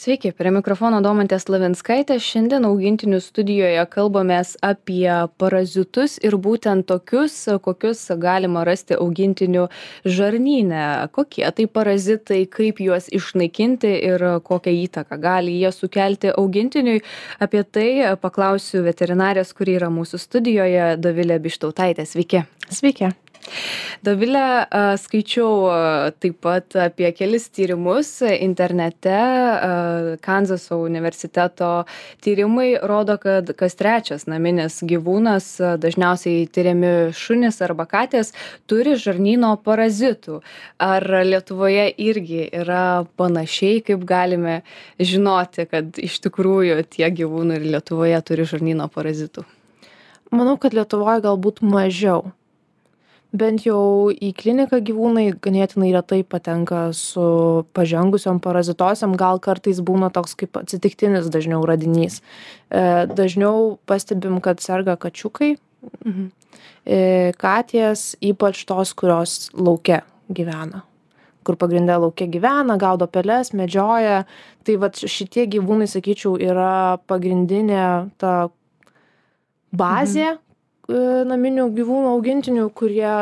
Sveiki, prie mikrofono Domantė Slavinskaitė. Šiandien augintinių studijoje kalbamės apie parazitus ir būtent tokius, kokius galima rasti augintinių žarnyne. Kokie tai parazitai, kaip juos išnaikinti ir kokią įtaką gali jie sukelti augintiniui. Apie tai paklausiu veterinarės, kuri yra mūsų studijoje, Dovilė Bištautaitė. Sveiki. Sveiki. Dovilė, skaičiau taip pat apie kelis tyrimus internete. Kanzaso universiteto tyrimai rodo, kad kas trečias naminis gyvūnas, dažniausiai tyriami šunys arba katės, turi žarnyno parazitų. Ar Lietuvoje irgi yra panašiai, kaip galime žinoti, kad iš tikrųjų tie gyvūnai ir Lietuvoje turi žarnyno parazitų? Manau, kad Lietuvoje galbūt mažiau. Bent jau į kliniką gyvūnai ganėtinai retai patenka su pažengusiom parazitosiom, gal kartais būna toks kaip atsitiktinis dažniau radinys. Dažniau pastebim, kad serga kačiukai, katės, ypač tos, kurios lauke gyvena. Kur pagrinde lauke gyvena, gaudo peles, medžioja. Tai vat šitie gyvūnai, sakyčiau, yra pagrindinė ta bazė, naminių gyvūnų augintinių, kurie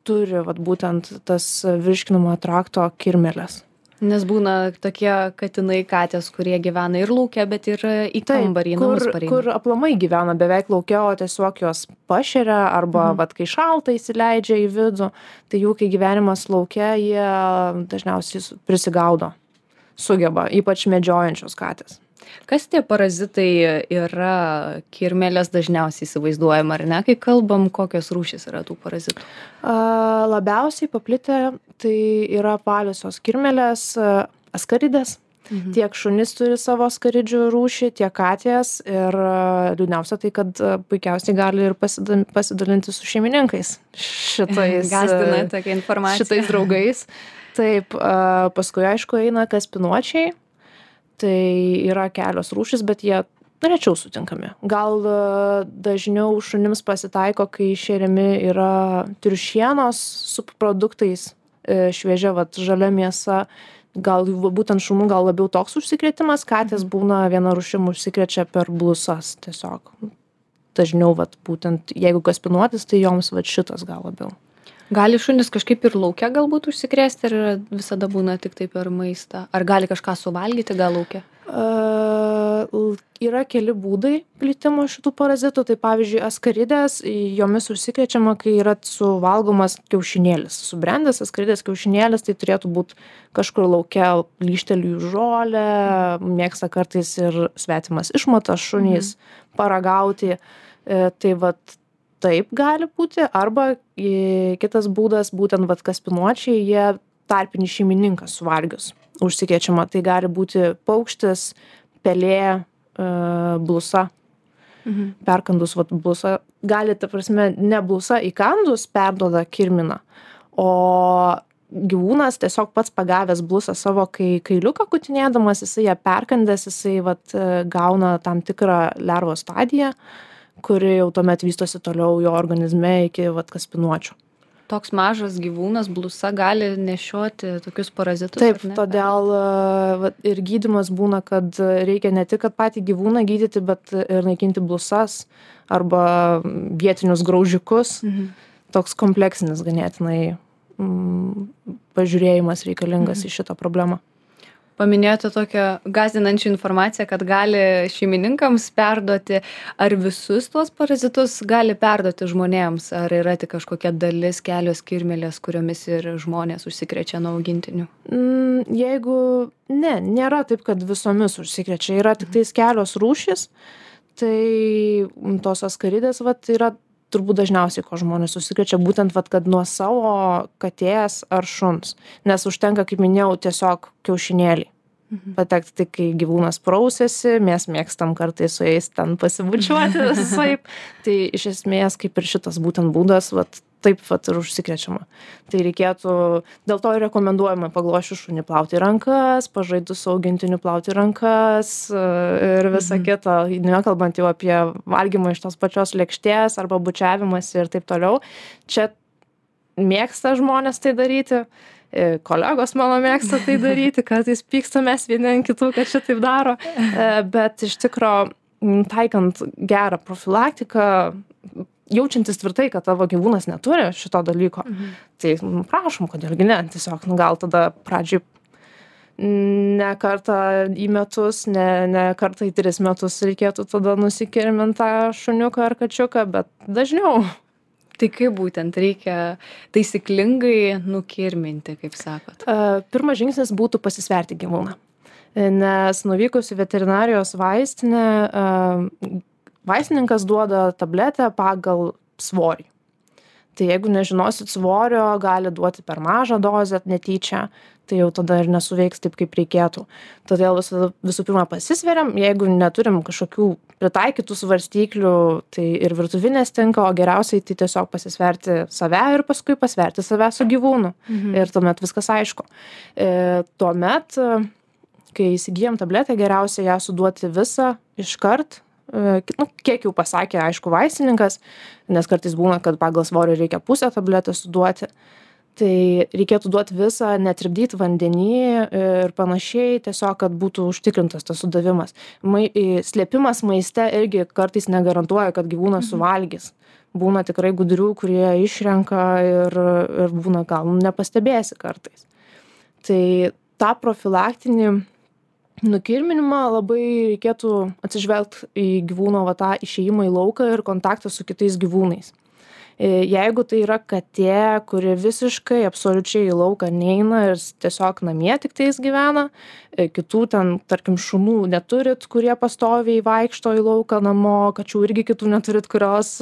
turi vat, būtent tas virškinamojo trakto kirmėles. Nes būna tokie katinai, katės, kurie gyvena ir lauke, bet ir į kambarį, namus pareina. Kur aplamai gyvena beveik lauke, o tiesiog jos pašeria arba vat, kai šalta įsileidžia į vidų, tai jų, kai gyvenimas lauke, jie dažniausiai prisigaudo, sugeba, ypač medžiojančios katės. Kas tie parazitai yra? Kirmėlės dažniausiai įsivaizduojama, ar ne? Kai kalbam, kokios rūšys yra tų parazitų? Labiausiai paplitę tai yra apvaliosios kirmėlės, askaridės. Tiek šunys turi savo askaridžių rūšį, tiek katės. Ir liūdniausia tai, kad puikiausiai gali ir pasidalinti su šeimininkais šitais, Gąsdina tokia informacija. Šitais draugais. Taip, paskui aišku eina kaspinuočiai. Tai yra kelios rūšys, bet jie rečiau sutinkami. Gal dažniau šunims pasitaiko, kai šeriami yra triušienos subproduktais, šviežia vat, žalia mėsa. Gal būtent šunų gal labiau toks užsikrėtimas, katės būna viena rūšim užsikrečia per blusas tiesiog. Dažniau vat, būtent jeigu kaspinuotis, tai joms vat, šitas gal labiau. Gali šunis kažkaip ir lauke galbūt užsikrėsti, ar visada būna tik tai per maistą? Ar gali kažką suvalgyti gal lauke? Yra keli būdai plitimo šitų parazitų. Tai pavyzdžiui, askaridės, jomis užsikrečiama, kai yra suvalgomas kiaušinėlis. Subrendęs askaridės kiaušinėlis, tai turėtų būti kažkur lauke, lyštelių žolę, mėgsta kartais ir svetimas išmatas šunys paragauti. Tai vat taip gali būti, arba kitas būdas, būtent vat kaspinuočiai, jie tarpinį šeimininką suvalgius užsikrečiama. Tai gali būti paukštis, pelė, blusa. Perkandus vat blusa, gali, ta prasme, ne blusa įkandus perduoda kirminą, o gyvūnas tiesiog pats pagavęs blusą savo kailiuką kutinėdamas, jisai ją perkandęs, jisai vat gauna tam tikrą lervos stadiją, kuri jau tuomet vystosi toliau jo organizme iki vat kaspinuočių. Toks mažas gyvūnas, blusa, gali nešioti tokius parazitus? Taip, todėl vat, ir gydymas būna, kad reikia ne tik, kad patį gyvūną gydyti, bet ir naikinti blusas arba vietinius graužikus. Toks kompleksinis ganėtinai pažiūrėjimas reikalingas į šitą problemą. Paminėjote tokią gąsdinančią informaciją, kad gali šeimininkams perduoti. Ar visus tuos parazitus gali perduoti žmonėms? Ar yra tik kažkokia dalis, kelios kirmėlės, kuriomis ir žmonės užsikrečia nuo augintinių? Jeigu nėra taip, kad visomis užsikrečia. Yra tik tais kelios rūšys. Tai tos askaridės vat, yra turbūt dažniausiai, ko žmonės užsikrečia, būtent vat, kad nuo savo katės ar šuns. Nes užtenka, kaip minėjau, tiesiog kiaušinėlį. Patekti tik, kai gyvūnas prausėsi, mes mėgstam kartais su jais ten pasibučiuoti visaip. Tai iš esmės, kaip ir šitas būtent būdas, vat, taip vat ir užsikrečiama. Tai reikėtų, dėl to ir rekomenduojama paglošius šunį plauti rankas, pažaidus su augintiniu plauti rankas ir visa kita, nekalbant jau apie valgymą iš tos pačios lėkštės arba bučiavimas ir taip toliau. Čia mėgsta žmonės tai daryti. Kolegos mano mėgsta tai daryti, kartais pykstamės vieni ant kitų, kad šitaip daro. Bet iš tikro, taikant gerą profilaktiką, jaučiantis tvirtai, kad tavo gyvūnas neturi šito dalyko, tai prašom, kodėlgi ne, tiesiog gal tada pradžiai ne kartą į metus, ne kartą į 3 metus reikėtų tada nusikirminti tą šuniuką ar kačiuką, bet dažniau. Tai kaip būtent reikia taisyklingai nukirminti, kaip sakot? Pirmas žingsnis būtų pasisverti gyvūną. Nes nuvykus į veterinarijos vaistinę, vaistininkas duoda tabletę pagal svorį. Tai jeigu nežinosit svorio, gali duoti per mažą dozę netyčia, tai jau tada ir nesuveiks taip, kaip reikėtų. Todėl visų pirma pasisveriam, jeigu neturim kažkokių pritaikytų svarstyklių, tai ir virtuvinės tinka, o geriausiai tai tiesiog pasisverti save ir paskui pasverti save su gyvūnu. Ir tuomet viskas aišku. Tuomet, kai įsigijam tabletę, geriausia ją suduoti visą iškart, kiek jau pasakė, aišku, vaistininkas, nes kartais būna, kad pagal svorį reikia pusę tabletę suduoti, tai reikėtų duoti visą, netripdyti vandenį ir panašiai, tiesiog, kad būtų užtikrintas tas sudavimas. Slėpimas maiste irgi kartais negarantuoja, kad gyvūnas suvalgys. Būna tikrai gudrių, kurie išrenka ir būna gal nepastebėsi kartais. Tai tą profilaktinį nukirminimą labai reikėtų atsižvelgti į gyvūno tą išėjimą į lauką ir kontaktą su kitais gyvūnais. Jeigu tai yra katė, kuri visiškai absoliučiai į lauką neina ir tiesiog namie tik tais gyvena, kitų ten, tarkim, šunų neturit, kurie pastoviai vaikšto į lauką namo, kačių irgi kitų neturit, kurios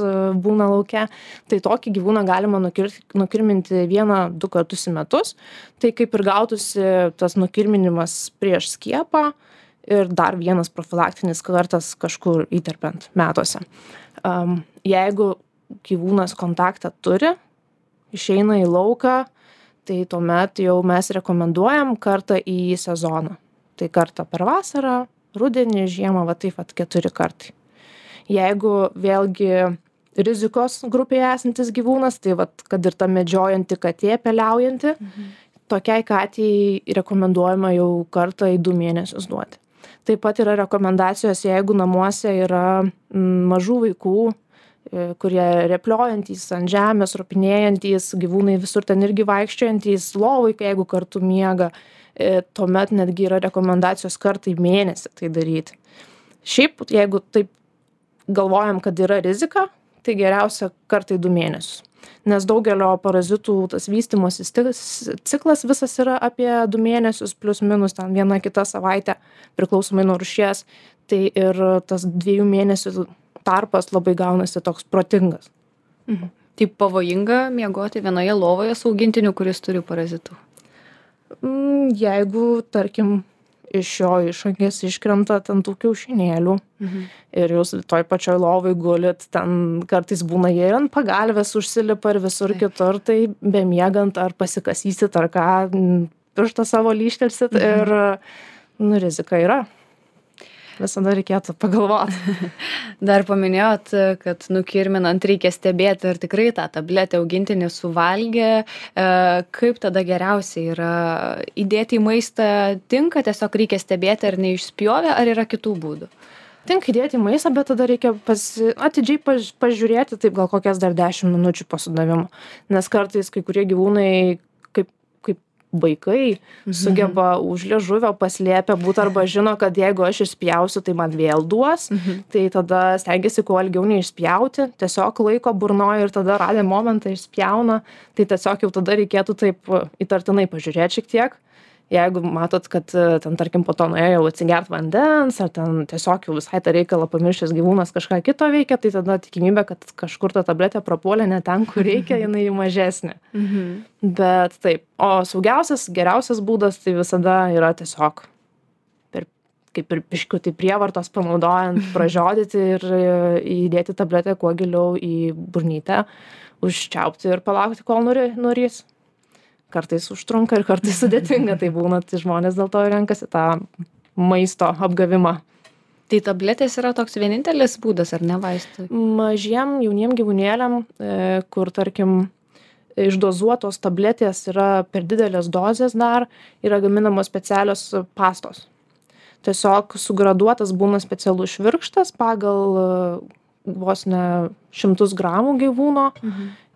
būna lauke, tai tokį gyvūną galima nukirminti 1-2 kartus į metus. Tai kaip ir gautųsi tas nukirminimas prieš skiepą ir dar vienas profilaktinis kartas kažkur įterpiant metuose. Jeigu gyvūnas kontaktą turi, išeina į lauką, tai tuomet jau mes rekomenduojam kartą į sezoną. Tai kartą per vasarą, rudenį, žiemą, taip 4 kartai. Jeigu vėlgi rizikos grupėje esantis gyvūnas, tai kad ir ta medžiojanti katė, peliaujanti, tokiai katei rekomenduojama jau kartą į 2 mėnesius duoti. Taip pat yra rekomendacijos, jeigu namuose yra mažų vaikų, kurie repliojantys ant žemės, ropinėjantys, gyvūnai visur ten irgi vaikščiojantys, lovai, jeigu kartu miega, tuomet netgi yra rekomendacijos kartą į mėnesį tai daryti. Šiaip, jeigu taip galvojam, kad yra rizika, tai geriausia kartą į 2 mėnesius. Nes daugelio parazitų tas vystymosi ciklas visas yra apie 2 mėnesius, plus minus ten 1-2 savaitę, priklausomai nuo rūšies, tai ir tas 2 mėnesių tarpas labai gaunasi toks protingas. Tai pavojinga miegoti vienoje lovoje su augintiniu, kuris turi parazitų? Jeigu, tarkim, iš jo išangės iškrenta ten tų kiaušinėlių ir jūs toj pačioj lovai gulit, ten kartais būna jie ir ant pagalvės užsilipa ir visur kitur, tai bemiegant ar pasikasysit ar ką, pirštą savo lyštelsit ir rizika yra. Visada reikėtų pagalvoti. Dar paminėjot, kad nukirminant reikia stebėti, ar tikrai tą tabletę augintinį suvalgė. Kaip tada geriausiai yra įdėti į maistą? Tinka, tiesiog reikia stebėti, ar neišspjovė, ar yra kitų būdų? Tinka įdėti į maistą, bet tada reikia atidžiai pažiūrėti, taip gal kokias dar 10 minučių po sudavimo. Nes kartais kai kurie gyvūnai vaikai sugeba už liežuvio paslėpę būt arba žino, kad jeigu aš išspjausiu, tai man vėl duos, tai tada stengiasi kuo ilgiau neišspjauti, tiesiog laiko burnoja ir tada radę momentą išspjauna, tai tiesiog jau tada reikėtų taip įtartinai pažiūrėti šiek tiek. Jeigu matot, kad ten, tarkim, po to nuėjo jau atsigert vandens, ar ten tiesiog jau visai tą reikalą pamiršęs gyvūnas kažką kito veikia, tai tada tikimybė, kad kažkur ta tabletė prapuolė ne ten, kur reikia, jinai mažesnė. Bet taip, o saugiausias, geriausias būdas tai visada yra tiesiog kaip ir biškutį prievartos panaudojant, pražiodyti ir įdėti tabletę kuo giliau į burnytę, užčiaupti ir palaukti, kol nurys. Kartais užtrunka ir kartais sudėtinga, tai būna, tai žmonės dėl to renkasi tą maisto apgavimą. Tai tabletės yra toks vienintelis būdas, ar ne vaistai? Mažiem, jauniem gyvūnėliam, kur, tarkim, išdozuotos tabletės yra per didelės dozės dar, yra gaminamos specialios pastos. Tiesiog sugraduotas būna specialus švirkštas pagal vos ne 100 gramų gyvūno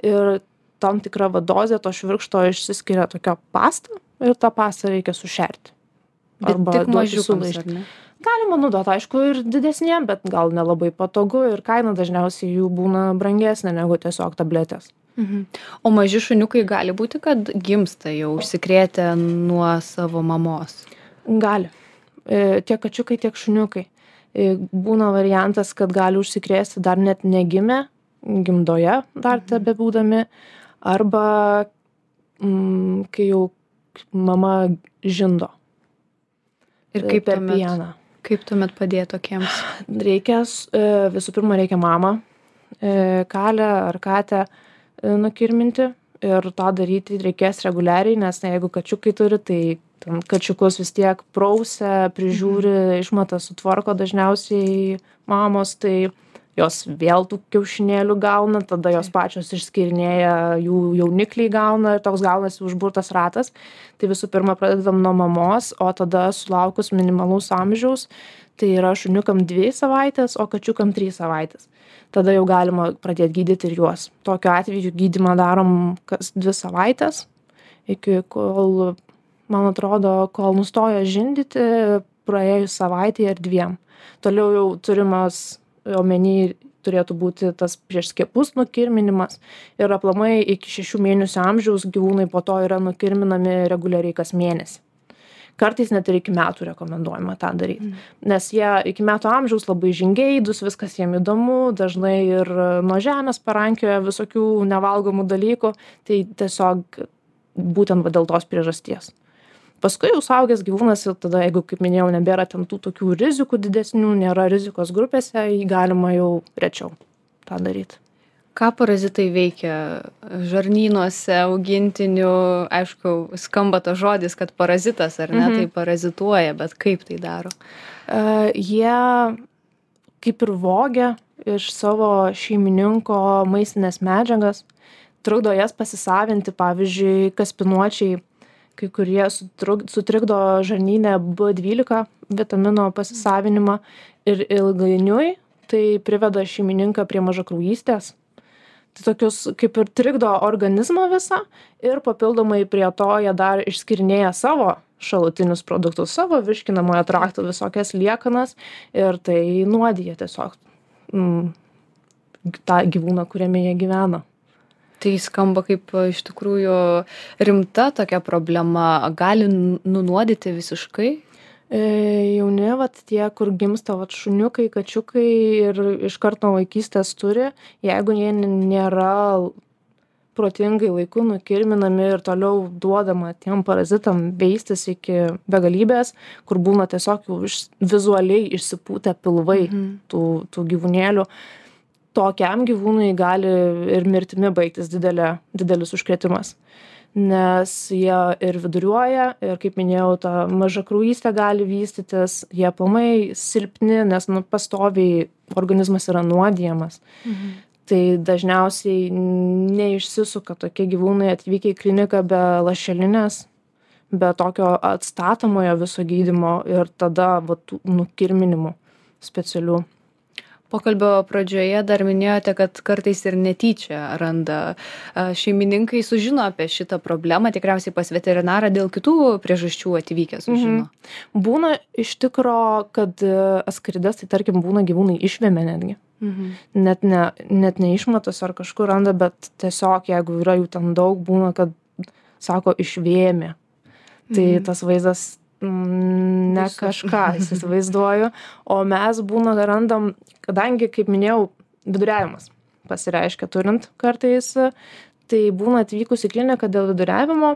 ir tam tikra dozė to švirkšto išsiskiria tokia pasta ir tą pastą reikia sušerti. Bet tik mažiukams, ar ne? Galima naudoti, aišku, ir didesniem, bet gal nelabai patogu ir kaina dažniausiai jų būna brangesnė negu tiesiog tabletės. O maži šuniukai gali būti, kad gimsta jau užsikrėtę nuo savo mamos? Gali. Tiek kačiukai, tiek šuniukai. Būna variantas, kad gali užsikrėsti dar net negimę, gimdoje dar tebebūdami, arba kai jau mama žindo. Ir kaip per pieną. Kaip tuomet padėti tokiems? Reikia, visų pirma, reikia mamą, kalę ar katę nukirminti ir tą daryti reikės reguliariai, nes jeigu kačiukai turi, tai kačiukus vis tiek prausia, prižiūri, išmata sutvarko dažniausiai mamos, tai jos vėl tų kiaušinėlių gauna, tada jos pačios išskirinėja, jų jaunikliai gauna ir toks gaunasi užburtas ratas. Tai visų pirma pradedam nuo mamos, o tada sulaukus minimalaus amžiaus, tai yra šuniukam 2 savaitės, o kačiukam 3 savaitės. Tada jau galima pradėti gydyti ir juos. Tokiu atveju gydymą darom kas 2 savaitės, iki kol, man atrodo, kol nustoja žindyti, praėjus savaitėje ar 2. Toliau jau turimas omeny turėtų būti tas prieš skiepus nukirminimas ir aplamai iki 6 mėnesių amžiaus gyvūnai po to yra nukirminami reguliariai kas mėnesį. Kartais net ir iki metų rekomenduojama tą daryti, nes jie iki metų amžiaus labai žingeidūs, viskas jiem įdomu, dažnai ir nuo žemės parankioja visokių nevalgomų dalykų, tai tiesiog būtent dėl tos priežasties. Paskui jau suaugęs gyvūnas ir tada, jeigu, kaip minėjau, nebėra ten tų tokių rizikų didesnių, nėra rizikos grupėse, jį galima jau rečiau tą daryti. Ką parazitai veikia žarnynuose, augintinių? Aišku, skamba tas žodis, kad parazitas ar ne, tai parazituoja, bet kaip tai daro? Jie kaip ir vogia iš savo šeimininko maistinės medžiagas, trukdo jas pasisavinti, pavyzdžiui, kaspinuočiai, kai kurie sutrikdo žarnyne B12 vitamino pasisavinimą ir ilgainiui tai priveda šeimininką prie mažakraujystės. Tai tokius kaip ir trikdo organizmą visą ir papildomai prie to jie dar išskirinėja savo šalutinius produktus, savo virškinamojo trakto visokias liekanas ir tai nuodija tiesiog tą gyvūną, kuriame jie gyvena. Tai skamba kaip iš tikrųjų rimta tokia problema. Gali nunuodyti visiškai? Jauni, tie, kur gimsta šuniukai, kačiukai ir iš karto vaikystės turi, jeigu jie nėra protingai laiku nukirminami ir toliau duodama tiem parazitam veistis iki begalybės, kur būna tiesiog jau vizualiai išsipūtę pilvai tų gyvūnėlių, tokiam gyvūnui gali ir mirtimi baigtis didelis užkrėtimas, nes jie ir viduriuoja ir, kaip minėjau, ta mažakraujystė gali vystytis, jie aplamai silpni, nes pastoviai organizmas yra nuodijamas. Tai dažniausiai neišsisuka tokie gyvūnai atvykę į kliniką be lašelinės, be tokio atstatomojo viso gydymo ir tada nukirminimų specialių. Pokalbio pradžioje dar minėjote, kad kartais ir netyčia randa šeimininkai sužino apie šitą problemą, tikriausiai pas veterinarą dėl kitų priežasčių atvykę sužino. Būna iš tikro, kad askarides, tai tarkim būna gyvūnai išvemia netgi. Net ne išmatos ar kažkur randa, bet tiesiog jeigu yra jų ten daug, būna, kad sako išvėmė. Tai tas vaizdas ne kažką įsivaizduoju, o mes randam, kadangi, kaip minėjau, viduriavimas pasireiškia turint kartais, tai būna atvykus į kliniką dėl viduriavimo,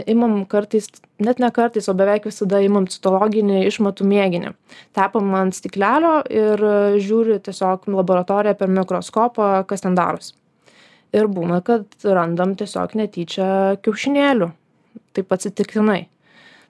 imam kartais, net ne kartais, o beveik visada imam citologinį išmatų mėginį. Tepam ant stiklelio ir žiūri tiesiog laboratoriją per mikroskopą, kas ten darosi. Ir būna, kad randam tiesiog netyčia kiaušinėlių, taip atsitiktinai.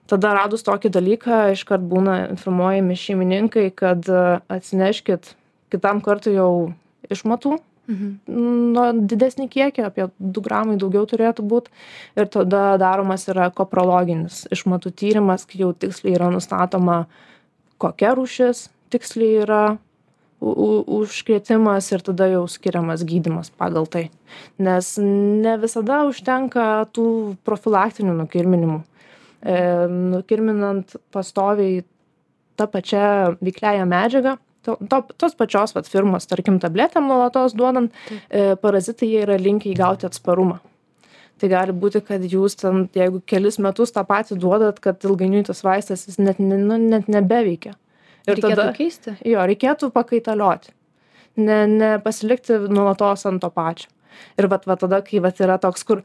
Tada radus tokį dalyką, iškart būna informuojami šeimininkai, kad atsineškit kitam kartui jau išmatų nuo didesnį kiekį, apie 2 gramai daugiau turėtų būti. Ir tada daromas yra koprologinis išmatų tyrimas, kai jau tiksliai yra nustatoma, kokia rūšis tiksliai yra užkrėtimas ir tada jau skiriamas gydymas pagal tai. Nes ne visada užtenka tų profilaktinių nukirminimų. Nukirminant pastoviai tą pačią veikliąją medžiagą, tos pačios firmos, tarkim, tabletėm nuolatos duodant, parazitai jie yra linkę įgauti atsparumą. Tai gali būti, kad jūs ten, jeigu kelis metus tą patį duodat, kad ilgainiui tas vaistas jis net nebeveikia. Ir reikėtų keisti? Jo, reikėtų pakaitalioti. Nepasilikti nuolatos ant to pačio. Ir tada, kai yra toks, kur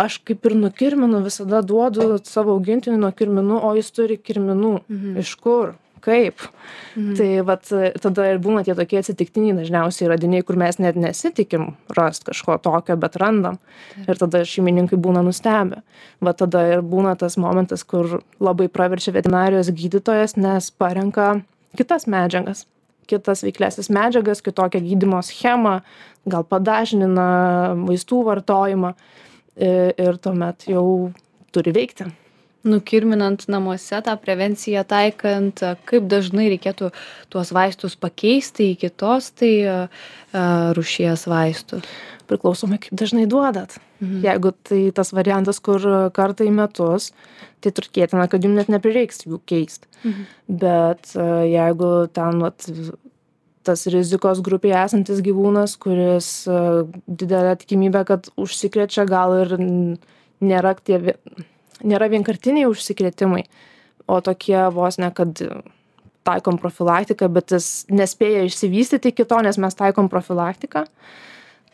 aš kaip ir nukirminu, visada duodu savo augintiniui nuo kirminų, o jis turi kirminų. Iš kur? Kaip? Tai tada ir būna tie tokie atsitiktiniai dažniausiai radiniai, kur mes net nesitikim rast kažko tokio, bet randam. Ir tada šeimininkai būna nustebę. Tada ir būna tas momentas, kur labai praverčia veterinarijos gydytojas, nes parenka kitas medžiagas, kitas veiklesnes medžiagas, kitokią gydymo schemą, gal padažnina vaistų vartojimą ir tuomet jau turi veikti. Nukirminant namuose tą prevenciją taikant, kaip dažnai reikėtų tuos vaistus pakeisti į kitos rūšies vaistus? Priklausomai, kaip dažnai duodat. Jeigu tai tas variantas, kur kartą į metus, tai tikėtina, kad jums net neprireiks jų keisti. Bet jeigu ten tas rizikos grupėje esantis gyvūnas, kuris didelė tikimybė, kad užsikrečia, gal ir nėra vienkartiniai užsikrėtimai, o tokie vos ne, kad taikom profilaktiką, bet jis nespėja išsivystyti iki to, nes mes taikom profilaktiką,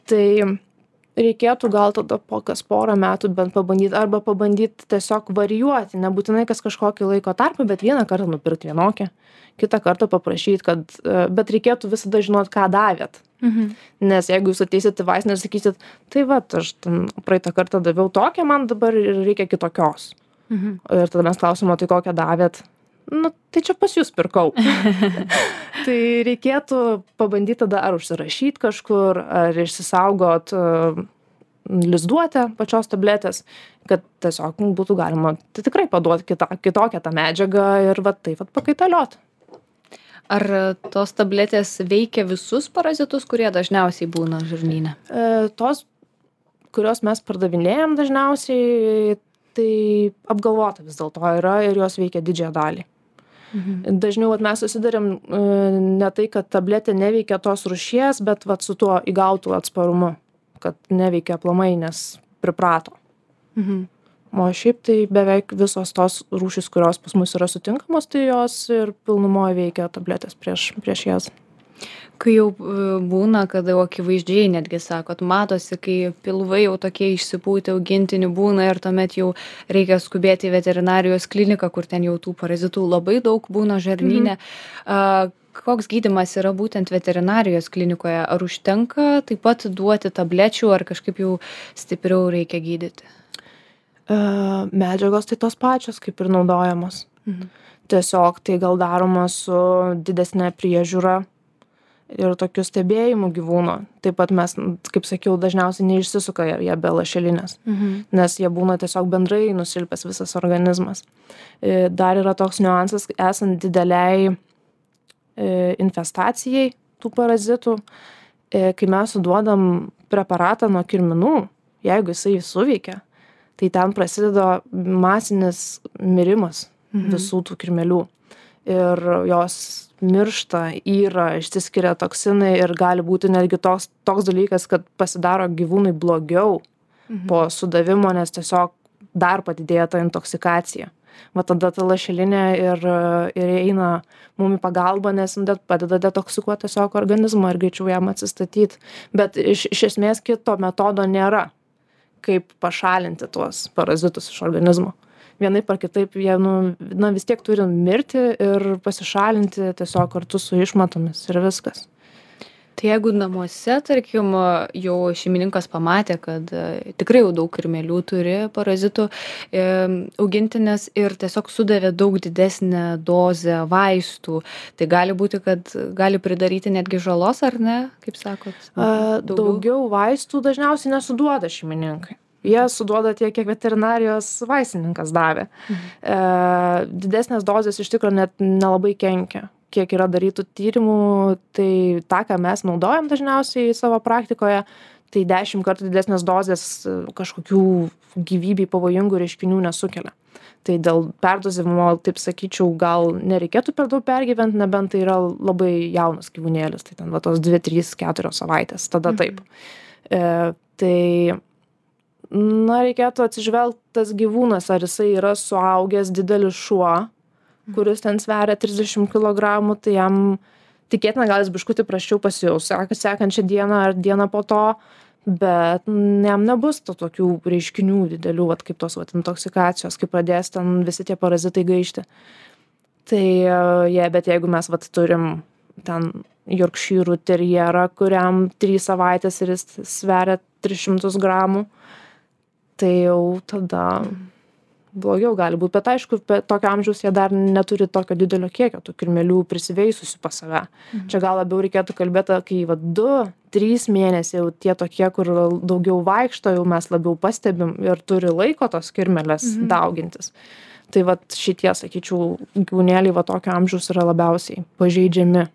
tai reikėtų gal tada po kas porą metų bent pabandyti, arba pabandyti tiesiog varijuoti, nebūtinai kas kažkokį laiko tarpą, bet vieną kartą nupirkti vienokią, kitą kartą paprašyti, bet reikėtų visada žinoti, ką davėt. Nes jeigu jūs ateisit į vaistinę ir sakysit, tai aš praeitą kartą daviau tokią, man dabar reikia kitokios. Ir tada mes klausim, tai kokią davėt? Tai čia pas jūs pirkau. Tai reikėtų pabandyti tada ar užsirašyti kažkur, ar išsisaugot lizduotę pačios tabletės, kad tiesiog būtų galima tikrai paduoti kitokią tą medžiagą ir pakaitalioti. Ar tos tabletės veikia visus parazitus, kurie dažniausiai būna žarnyne? Tos, kurios mes pardavinėjam dažniausiai, tai apgalvota vis dėlto yra ir jos veikia didžiąją dalį. Dažniau mes susidarėm ne tai, kad tabletė neveikia tos rūšies, bet su tuo įgautų atsparumu, kad neveikia aplamai, nes priprato. O šiaip tai beveik visos tos rūšys, kurios pas mus yra sutinkamos, tai jos ir pilnumoje veikia tabletės prieš jas. Kai jau būna, kada jau akivaizdžiai netgi sakot, matosi, kai pilvai jau tokie išsipūtę augintinių būna ir tuomet jau reikia skubėti į veterinarijos kliniką, kur ten jau tų parazitų labai daug būna žarnyne. Koks gydymas yra būtent veterinarijos klinikoje? Ar užtenka taip pat duoti tablečių, ar kažkaip jau stipriau reikia gydyti? Medžiagos tai tos pačios, kaip ir naudojamos. Tiesiog tai gal daroma su didesnė priežiūra ir tokiu stebėjimu gyvūno. Taip pat mes, kaip sakiau, dažniausiai neišsisuka jie be lašelinės, nes jie būna tiesiog bendrai nusilpęs visas organizmas. Dar yra toks niuansas, esant dideliai infestacijai tų parazitų, kai mes suduodam preparatą nuo kirminų, jeigu jisai suveikia, tai ten prasideda masinis mirimas visų tų kirmėlių. Ir jos miršta, yra, išsiskiria toksinai ir gali būti netgi toks dalykas, kad pasidaro gyvūnui blogiau po sudavimo, nes tiesiog dar padidėja ta intoksikacija. Tada ta lašelinė ir eina mum į pagalbą, nes padeda detoksikuoti tiesiog organizmą ir greičiau jam atsistatyti. Bet iš esmės kito metodo nėra, kaip pašalinti tuos parazitus iš organizmo. Vienaip ar kitaip jie vis tiek turi mirti ir pasišalinti tiesiog kartu su išmatomis ir viskas. Tai jeigu namuose, tarkim, jau šeimininkas pamatė, kad tikrai jau daug kirmėlių turi parazitų augintinės ir tiesiog sudavė daug didesnę dozę vaistų, tai gali būti, kad gali pridaryti netgi žalos, ar ne, kaip sakot? Daugiau vaistų dažniausiai nesuduoda šeimininkai. Jie suduoda tiek, kiek veterinarijos vaistininkas davė. Didesnės dozės iš tikrųjų net nelabai kenkia. Kiek yra darytų tyrimų, tai tą, ką mes naudojam dažniausiai savo praktikoje, tai 10 kartų didesnės dozės kažkokių gyvybei pavojingų reiškinių nesukelia. Tai dėl perdozavimo, taip sakyčiau, gal nereikėtų per daug pergyventi, nebent tai yra labai jaunas gyvūnėlis, tai ten va tos 2, 3, 4 savaitės, tada taip. Tai reikėtų atsižvelgti tas gyvūnas, ar jisai yra suaugęs didelis šuo, kuris ten sveria 30 kg, tai jam tikėtina gal jis biškutį prasčiau pasijaus sekančią dieną ar dieną po to, bet jam nebus tokių reiškinių didelių, kaip tos intoksikacijos, kai pradės ten visi tie parazitai gaišti. Tai bet jeigu mes turim ten Yorkshire terjerą, kuriam 3 savaitės ir jis sveria 300 gramų, tai jau tada blogiau gali būt, bet aišku, tokio amžiaus jie dar neturi tokio didelio kiekio tų kirmėlių prisiveisusių pas save. Čia gal labiau reikėtų kalbėti, kai 2-3 mėnesiai jau tie tokie, kur daugiau vaikšto, jau mes labiau pastebim ir turi laiko tos kirmėlės daugintis. Tai šitie, sakyčiau, gyvūnėliai tokio amžiaus yra labiausiai pažeidžiami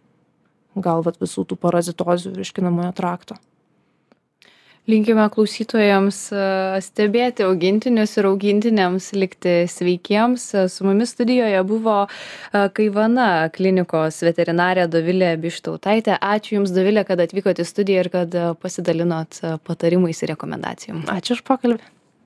gal visų tų parazitozių virškinamojo trakto. Linkime klausytojams stebėti augintinius ir augintinėms likti sveikiems. Su mumis studijoje buvo Kaivana klinikos veterinarė Dovilė Bištautaitė. Ačiū Jums, Dovilė, kad atvykote į studiją ir kad pasidalinot patarimais ir rekomendacijom. Ačiū už pokalbį.